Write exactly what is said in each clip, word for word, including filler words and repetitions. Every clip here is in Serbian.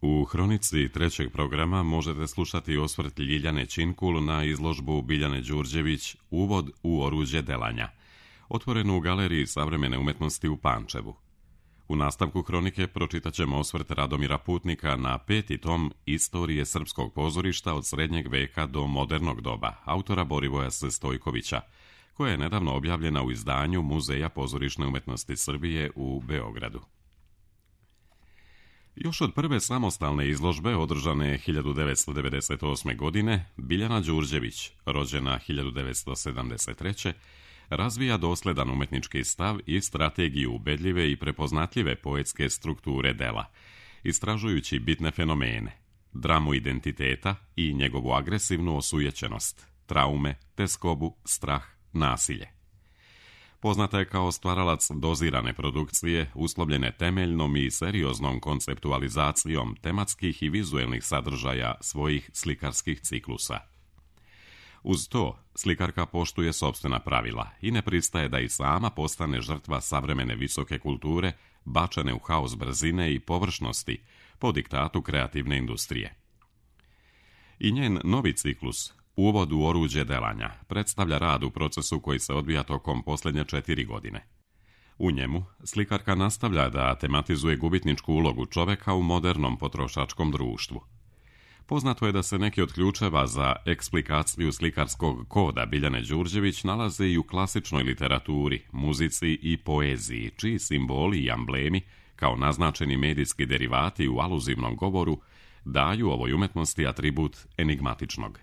U hronici trećeg programa možete slušati osvrt Ljiljane Činkul na izložbu Biljane Đurđević Uvod u oruđe delanja, otvorenu u Galeriji savremene umetnosti u Pančevu. U nastavku hronike pročitat ćemo osvrt Radomira Putnika na peti tom Istorije srpskog pozorišta od srednjeg veka do modernog doba, autora Borivoja S. Stojkovića, koja je nedavno objavljena u izdanju Muzeja pozorišne umetnosti Srbije u Beogradu. Još od prve samostalne izložbe, održane hiljadu devetsto devedeset osme. godine, Biljana Đurđević, rođena hiljadu devetsto sedamdeset treće. razvija dosledan umetnički stav i strategiju ubedljive i prepoznatljive poetske strukture dela, istražujući bitne fenomene, dramu identiteta i njegovu agresivnu osujećenost, traume, teskobu, strah, nasilje. Poznata je kao stvaralac dozirane produkcije, uslovljene temeljnom i serioznom konceptualizacijom tematskih i vizuelnih sadržaja svojih slikarskih ciklusa. Uz to, slikarka poštuje sopstvena pravila i ne pristaje da i sama postane žrtva savremene visoke kulture, bačene u haos brzine i površnosti po diktatu kreativne industrije. I njen novi ciklus, Uvod u oruđe delanja, predstavlja rad u procesu koji se odvija tokom posljednje četiri godine. U njemu, slikarka nastavlja da tematizuje gubitničku ulogu čoveka u modernom potrošačkom društvu. Poznato je da se neki od ključeva za eksplikaciju slikarskog koda Biljane Đurđević nalaze i u klasičnoj literaturi, muzici i poeziji, čiji simboli i amblemi, kao naznačeni medijski derivati u aluzivnom govoru, daju ovoj umetnosti atribut enigmatičnog.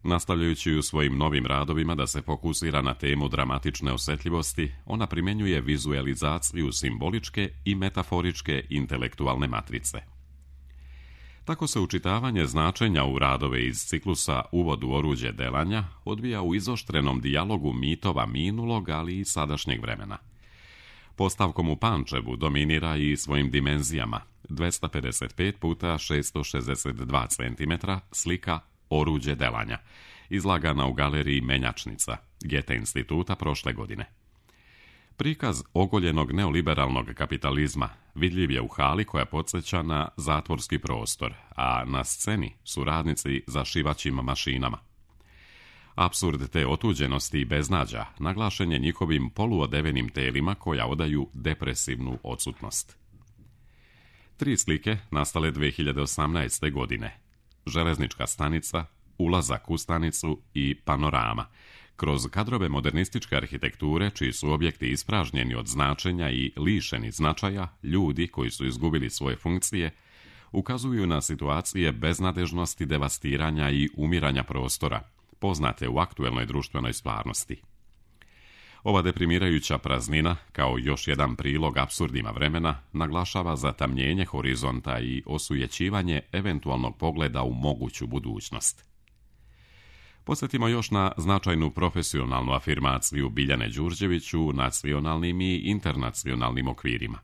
Nastavljajući u svojim novim radovima da se fokusira na temu dramatične osetljivosti, ona primjenjuje vizualizaciju simboličke i metaforičke intelektualne matrice. Tako se učitavanje značenja u radove iz ciklusa Uvod u oruđe delanja odvija u izoštrenom dijalogu mitova minulog, ali i sadašnjeg vremena. Postavkom u Pančevu dominira i svojim dimenzijama, dvesta pedeset pet puta šesto šezdeset dva centimetra, slika Oruđe delanja, izlagana u Galeriji Menjačnica, Gete instituta prošle godine. Prikaz ogoljenog neoliberalnog kapitalizma vidljiv je u hali koja podsjeća na zatvorski prostor, a na sceni su radnici za šivaćim mašinama. Apsurd te otuđenosti i beznađa naglašen je njihovim poluodevenim telima koja odaju depresivnu odsutnost. Tri slike nastale dve hiljade osamnaeste. godine. Železnička stanica, ulazak u stanicu i panorama, kroz kadrove modernističke arhitekture, čiji su objekti ispražnjeni od značenja i lišeni značaja, ljudi koji su izgubili svoje funkcije, ukazuju na situacije beznadežnosti, devastiranja i umiranja prostora, poznate u aktuelnoj društvenoj stvarnosti. Ova deprimirajuća praznina, kao još jedan prilog apsurdima vremena, naglašava zatamnjenje horizonta i osujećivanje eventualnog pogleda u moguću budućnost. Podsjetimo još na značajnu profesionalnu afirmaciju Biljane Đurđević u nacionalnim i internacionalnim okvirima.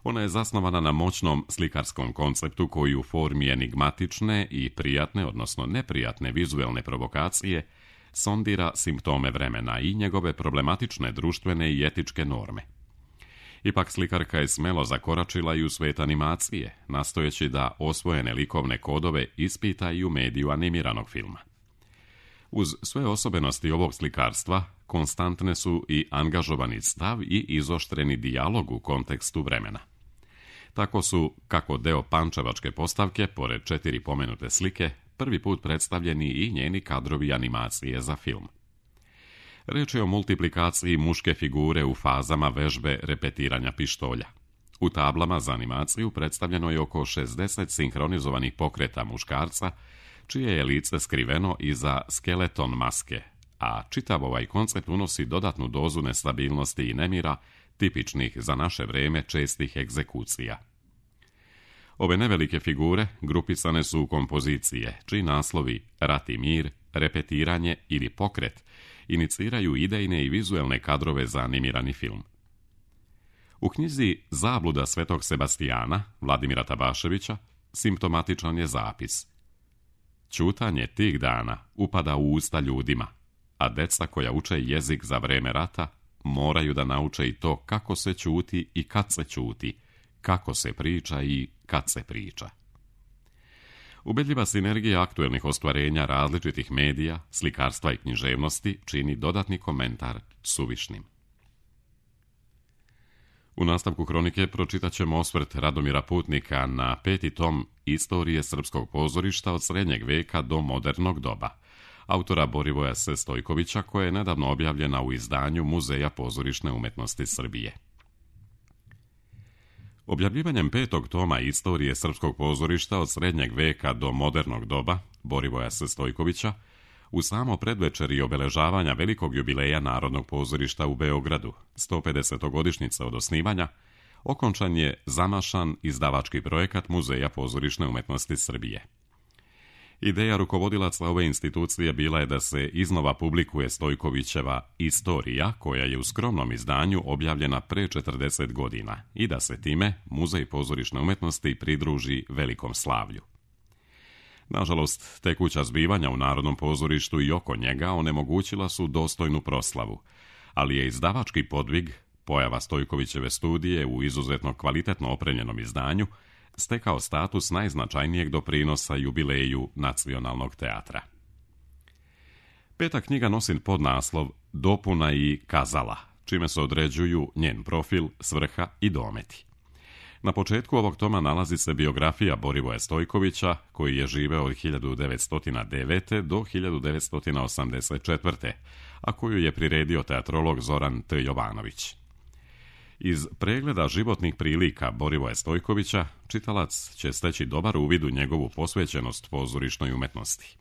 Ona je zasnovana na moćnom slikarskom konceptu koji u formi enigmatične i prijatne, odnosno neprijatne vizuelne provokacije sondira simptome vremena i njegove problematične društvene i etičke norme. Ipak slikarka je smelo zakoračila i u svet animacije, nastojeći da osvojene likovne kodove ispita i u mediju animiranog filma. Uz sve osobenosti ovog slikarstva, konstantne su i angažovani stav i izoštreni dijalog u kontekstu vremena. Tako su, kako deo pančevačke postavke, pored četiri pomenute slike, prvi put predstavljeni i njeni kadrovi animacije za film. Reč je o multiplikaciji muške figure u fazama vežbe repetiranja pištolja. U tablama za animaciju predstavljeno je oko šezdeset sinhronizovanih pokreta muškarca, čije je lice skriveno iza skeleton maske, a čitav ovaj koncept unosi dodatnu dozu nestabilnosti i nemira, tipičnih za naše vreme čestih egzekucija. Ove nevelike figure grupisane su u kompozicije, čiji naslovi Rat i mir, repetiranje ili pokret iniciraju idejne i vizuelne kadrove za animirani film. U knjizi Zabluda Svetog Sebastijana, Vladimira Tabaševića, simptomatičan je zapis: ćutanje tih dana upada u usta ljudima, a deca koja uče jezik za vreme rata moraju da nauče i to kako se ćuti i kad se ćuti, kako se priča i kad se priča. Ubedljiva sinergija aktuelnih ostvarenja različitih medija, slikarstva i književnosti čini dodatni komentar suvišnim. U nastavku hronike pročitat ćemo osvrt Radomira Putnika na peti tom Istorije srpskog pozorišta od srednjeg veka do modernog doba, autora Borivoja S. Stojkovića, koja je nedavno objavljena u izdanju Muzeja pozorišne umetnosti Srbije. Objavljivanjem petog toma Istorije srpskog pozorišta od srednjeg veka do modernog doba, Borivoja S. Stojkovića, u samo predvečer i obeležavanja velikog jubileja Narodnog pozorišta u Beogradu, sto pedesetogodišnjica od osnivanja, okončan je zamašan izdavački projekat Muzeja pozorišne umetnosti Srbije. Ideja rukovodilaca ove institucije bila je da se iznova publikuje Stojkovićeva Istorija, koja je u skromnom izdanju objavljena pre četrdeset godina, i da se time Muzej pozorišne umetnosti pridruži velikom slavlju. Nažalost, tekuća zbivanja u Narodnom pozorištu i oko njega onemogućila su dostojnu proslavu, ali je izdavački podvig, pojava Stojkovićeve studije u izuzetno kvalitetno opremljenom izdanju, stekao status najznačajnijeg doprinosa jubileju Nacionalnog teatra. Peta knjiga nosi podnaslov Dopuna i kazala, čime se određuju njen profil, svrha i dometi. Na početku ovog toma nalazi se biografija Borivoja Stojkovića, koji je živeo od hiljadu devetsto devete. do hiljadu devetsto osamdeset četvrte. a koju je priredio teatrolog Zoran T. Jovanović. Iz pregleda životnih prilika Borivoja Stojkovića čitalac će steći dobar uvid u njegovu posvećenost pozorišnoj umetnosti.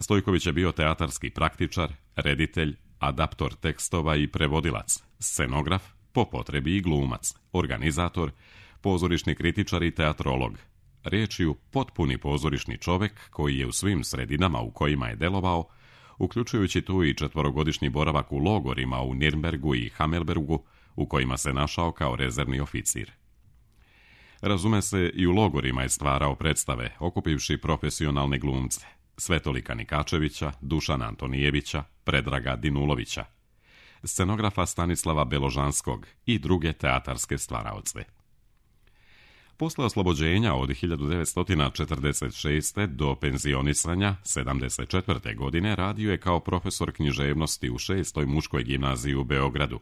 Stojković je bio teatarski praktičar, reditelj, adaptor tekstova i prevodilac, scenograf, po potrebi i glumac, organizator, pozorišni kritičar i teatrolog. Riječju potpuni pozorišni čovek koji je u svim sredinama u kojima je delovao, uključujući tu i četvorogodišnji boravak u logorima u Nirnbergu i Hamelbergu, u kojima se našao kao rezervni oficir. Razume se, i u logorima je stvarao predstave, okupivši profesionalne glumce, Svetolika Nikačevića, Dušana Antonijevića, Predraga Dinulovića, scenografa Stanislava Beložanskog i druge teatarske stvaraoce. Posle oslobođenja od hiljadu devetsto četrdeset šeste. do penzionisanja sedamdeset četvrte. godine radio je kao profesor književnosti u šestoj muškoj gimnaziji u Beogradu,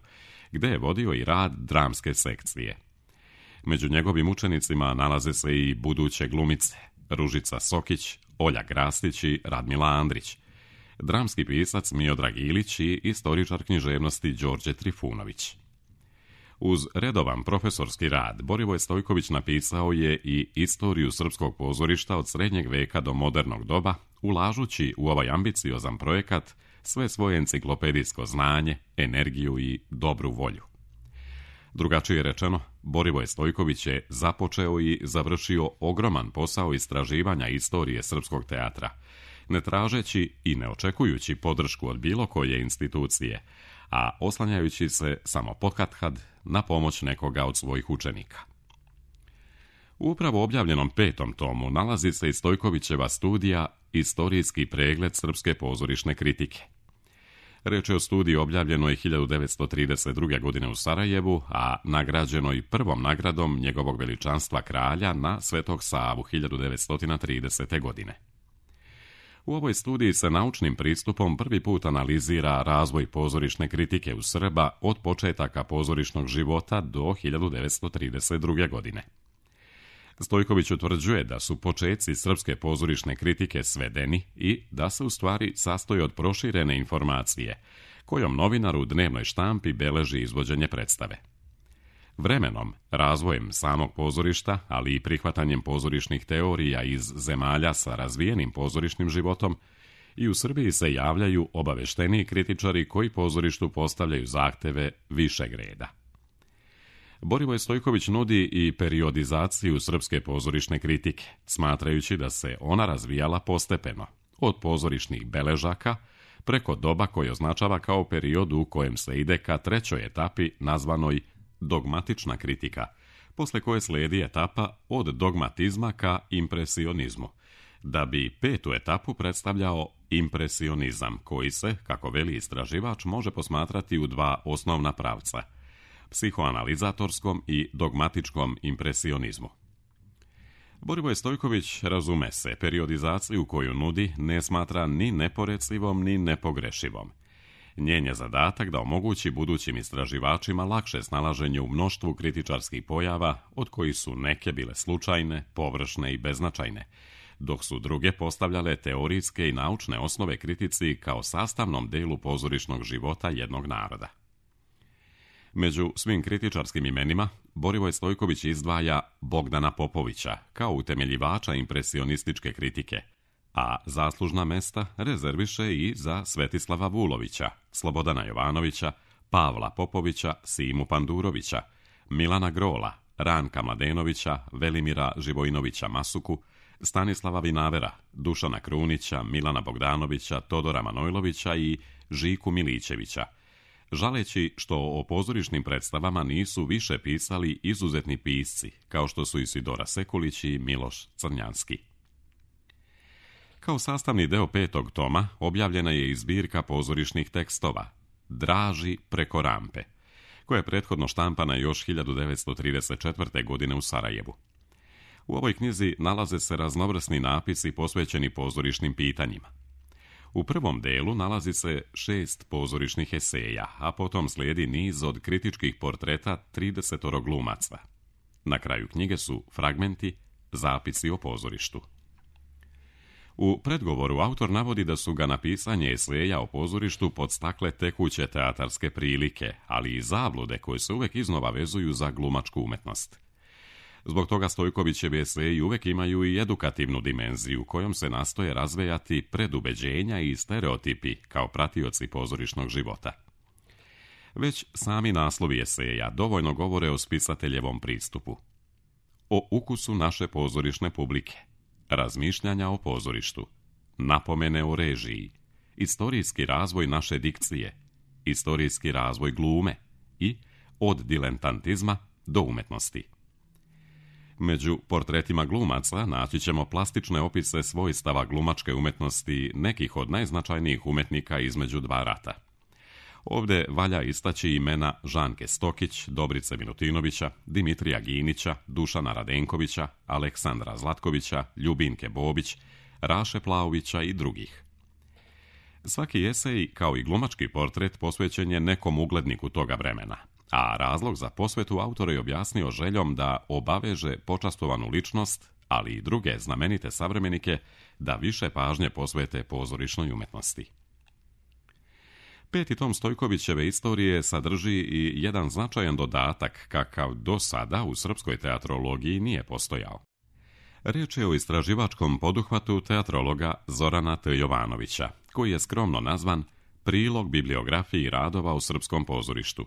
gde je vodio i rad dramske sekcije. Među njegovim učenicima nalaze se i buduće glumice Ružica Sokić, Olja Grastić i Radmila Andrić, dramski pisac Miodrag Ilić i istoričar književnosti Đorđe Trifunović. Uz redovan profesorski rad, Borivoj Stojković napisao je i Istoriju srpskog pozorišta od srednjeg veka do modernog doba, ulažući u ovaj ambiciozan projekat sve svoje enciklopedijsko znanje, energiju i dobru volju. Drugačije rečeno, Borivoj Stojković je započeo i završio ogroman posao istraživanja istorije srpskog teatra, ne tražeći i ne očekujući podršku od bilo koje institucije, a oslanjajući se samo pokatkad na pomoć nekoga od svojih učenika. U upravo objavljenom petom tomu nalazi se i Stojkovićeva studija Istorijski pregled srpske pozorišne kritike. Reč je o studiji objavljenoj hiljadu devetsto trideset druge. godine u Sarajevu, a nagrađenoj prvom nagradom njegovog veličanstva kralja na Svetog Savu hiljadu devetsto tridesete. godine. U ovoj studiji se naučnim pristupom prvi put analizira razvoj pozorišne kritike u Srba od početaka pozorišnog života do hiljadu devetsto trideset druge. godine. Stojković utvrđuje da su početci srpske pozorišne kritike svedeni i da se u stvari sastoji od proširene informacije, kojom novinar u dnevnoj štampi beleži izvođenje predstave. Vremenom, razvojem samog pozorišta, ali i prihvatanjem pozorišnih teorija iz zemalja sa razvijenim pozorišnim životom, i u Srbiji se javljaju obavešteniji kritičari koji pozorištu postavljaju zahteve višeg reda. Borivoj Stojković nudi i periodizaciju srpske pozorišne kritike, smatrajući da se ona razvijala postepeno, od pozorišnih beležaka preko doba koje označava kao period u kojem se ide ka trećoj etapi nazvanoj dogmatična kritika, posle koje slijedi etapa od dogmatizma ka impresionizmu, da bi petu etapu predstavljao impresionizam, koji se, kako veli istraživač, može posmatrati u dva osnovna pravca: psihoanalizatorskom i dogmatičkom impresionizmu. Borivoj Stojković, razume se, periodizaciju koju nudi ne smatra ni neporecivom ni nepogrešivom. Njen je zadatak da omogući budućim istraživačima lakše snalaženje u mnoštvu kritičarskih pojava, od kojih su neke bile slučajne, površne i beznačajne, dok su druge postavljale teorijske i naučne osnove kritici kao sastavnom delu pozorišnog života jednog naroda. Među svim kritičarskim imenima, Borivoj Stojković izdvaja Bogdana Popovića kao utemeljivača impresionističke kritike, a zaslužna mesta rezerviše i za Svetislava Vulovića, Slobodana Jovanovića, Pavla Popovića, Simu Pandurovića, Milana Grola, Ranka Mladenovića, Velimira Živojinovića Masuku, Stanislava Vinavera, Dušana Krunića, Milana Bogdanovića, Todora Manojlovića i Žiku Milićevića, žaleći što o pozorišnim predstavama nisu više pisali izuzetni pisci, kao što su Isidora Sekulić i Miloš Crnjanski. Kao sastavni deo petog toma objavljena je i zbirka pozorišnih tekstova Draži preko rampe, koja je prethodno štampana još hiljadu devetsto trideset četvrte. godine u Sarajevu. U ovoj knjizi nalaze se raznovrsni napisi posvećeni pozorišnim pitanjima. U prvom delu nalazi se šest pozorišnih eseja, a potom slijedi niz od kritičkih portreta tridesetoro glumaca. Na kraju knjige su fragmenti, zapisi o pozorištu. U predgovoru autor navodi da su ga na pisanje eseja o pozorištu podstakle tekuće teatarske prilike, ali i zablude koje se uvek iznova vezuju za glumačku umetnost. Zbog toga Stojkovićevi eseji uvek imaju i edukativnu dimenziju, kojom se nastoje razvejati predubeđenja i stereotipi kao pratioci pozorišnog života. Već sami naslovi eseja dovoljno govore o spisateljevom pristupu. O ukusu naše pozorišne publike, razmišljanja o pozorištu, napomene o režiji, istorijski razvoj naše dikcije, istorijski razvoj glume i od diletantizma do umetnosti. Među portretima glumaca naći ćemo plastične opise svojstava glumačke umetnosti nekih od najznačajnijih umetnika između dva rata. Ovdje valja istaći imena Žanke Stokić, Dobrice Milutinovića, Dimitrija Ginića, Dušana Radenkovića, Aleksandra Zlatkovića, Ljubinke Bobić, Raše Plavovića i drugih. Svaki esej, kao i glumački portret, posvećen je nekom ugledniku toga vremena, a razlog za posvetu autor je objasnio željom da obaveže počastovanu ličnost, ali i druge znamenite savremenike, da više pažnje posvete pozorišnoj umetnosti. Peti tom Stojkovićeve istorije sadrži i jedan značajan dodatak kakav do sada u srpskoj teatrologiji nije postojao. Riječ je o istraživačkom poduhvatu teatrologa Zorana T. Jovanovića, koji je skromno nazvan Prilog bibliografiji radova u srpskom pozorištu.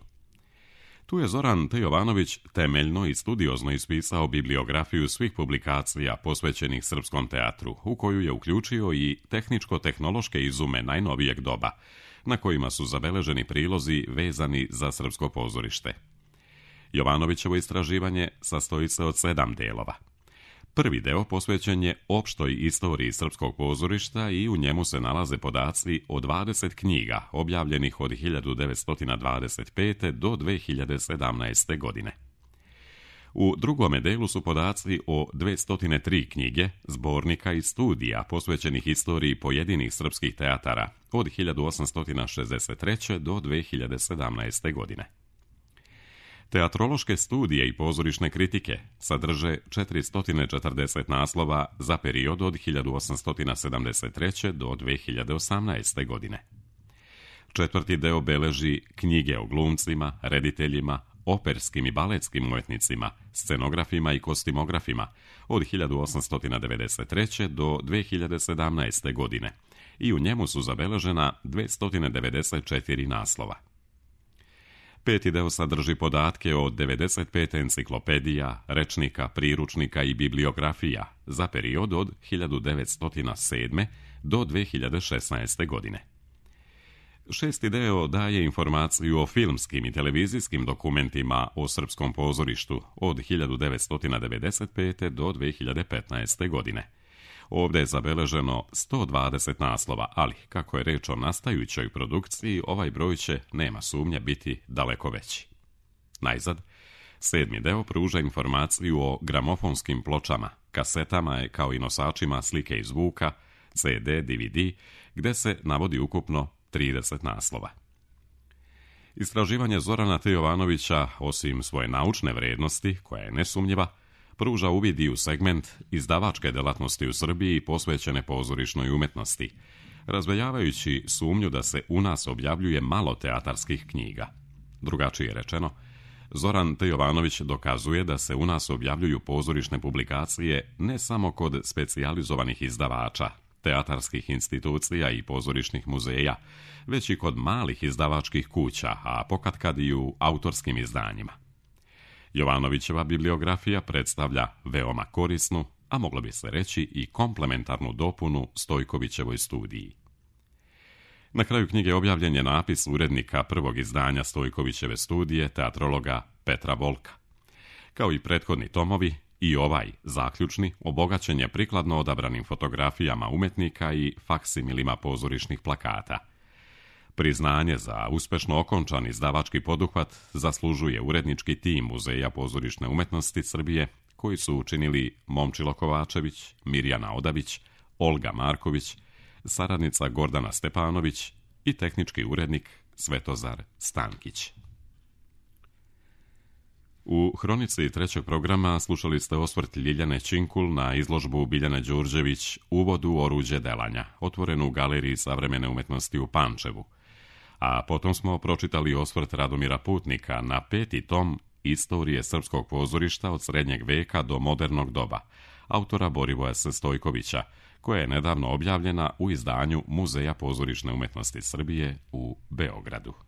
Tu je Zoran T. Jovanović temeljno i studiozno ispisao bibliografiju svih publikacija posvećenih srpskom teatru, u koju je uključio i tehničko-tehnološke izume najnovijeg doba, na kojima su zabeleženi prilozi vezani za srpsko pozorište. Jovanovićevo istraživanje sastoji se od sedam delova. Prvi deo posvećen je opštoj istoriji srpskog pozorišta i u njemu se nalaze podaci o dvadeset knjiga objavljenih od hiljadu devetsto dvadeset pete. do dve hiljade sedamnaeste. godine. U drugome delu su podaci o dvesta tri knjige, zbornika i studija posvećenih istoriji pojedinih srpskih teatara od hiljadu osamsto šezdeset treće. do dve hiljade sedamnaeste. godine. Teatrološke studije i pozorišne kritike sadrže četiristo četrdeset naslova za period od hiljadu osamsto sedamdeset treće. do dve hiljade osamnaeste. godine. Četvrti deo beleži knjige o glumcima, rediteljima, operskim i baletskim umetnicima, scenografima i kostimografima od hiljadu osamsto devedeset treće. do dve hiljade sedamnaeste. godine i u njemu su zabeležena dvesta devedeset četiri naslova. Peti deo sadrži podatke o devedeset pet enciklopedija, rečnika, priručnika i bibliografija za period od hiljadu devetsto sedme. do dve hiljade šesnaeste. godine. Šesti deo daje informaciju o filmskim i televizijskim dokumentima o srpskom pozorištu od hiljadu devetsto devedeset pete. do dve hiljade petnaeste. godine. Ovdje je zabeleženo sto dvadeset naslova, ali, kako je reč o nastajućoj produkciji, ovaj broj će, nema sumnje, biti daleko veći. Najzad, sedmi deo pruža informaciju o gramofonskim pločama, kasetama kao i nosačima slike i zvuka, ce de, de ve de, gde se navodi ukupno trideset naslova. Istraživanje Zorana T. Jovanovića, osim svoje naučne vrednosti, koja je nesumnjiva, pruža uvid i u segment izdavačke delatnosti u Srbiji posvećene pozorišnoj umetnosti, razveljavajući sumnju da se u nas objavljuje malo teatarskih knjiga. Drugačije rečeno, Zoran T. Jovanović dokazuje da se u nas objavljuju pozorišne publikacije ne samo kod specijalizovanih izdavača, teatarskih institucija i pozorišnih muzeja, već i kod malih izdavačkih kuća, a pokatkad i u autorskim izdanjima. Jovanovićeva bibliografija predstavlja veoma korisnu, a moglo bi se reći i komplementarnu dopunu Stojkovićevoj studiji. Na kraju knjige objavljen je napis urednika prvog izdanja Stojkovićeve studije, teatrologa Petra Volka. Kao i prethodni tomovi, i ovaj, zaključni, obogaćen je prikladno odabranim fotografijama umetnika i faksimilima pozorišnih plakata. Priznanje za uspešno okončan izdavački poduhvat zaslužuje urednički tim Muzeja pozorišne umetnosti Srbije, koji su učinili Momčilo Kovačević, Mirjana Odavić, Olga Marković, saradnica Gordana Stepanović i tehnički urednik Svetozar Stankić. U hronici trećeg programa slušali ste osvrt Ljiljane Činkul na izložbu Biljane Đurđević Uvod u oruđe delanja, otvorenu u Galeriji savremene umetnosti u Pančevu. A potom smo pročitali osvrt Radomira Putnika na peti tom Istorije srpskog pozorišta od srednjeg veka do modernog doba, autora Borivoja Stojkovića, koja je nedavno objavljena u izdanju Muzeja pozorišne umetnosti Srbije u Beogradu.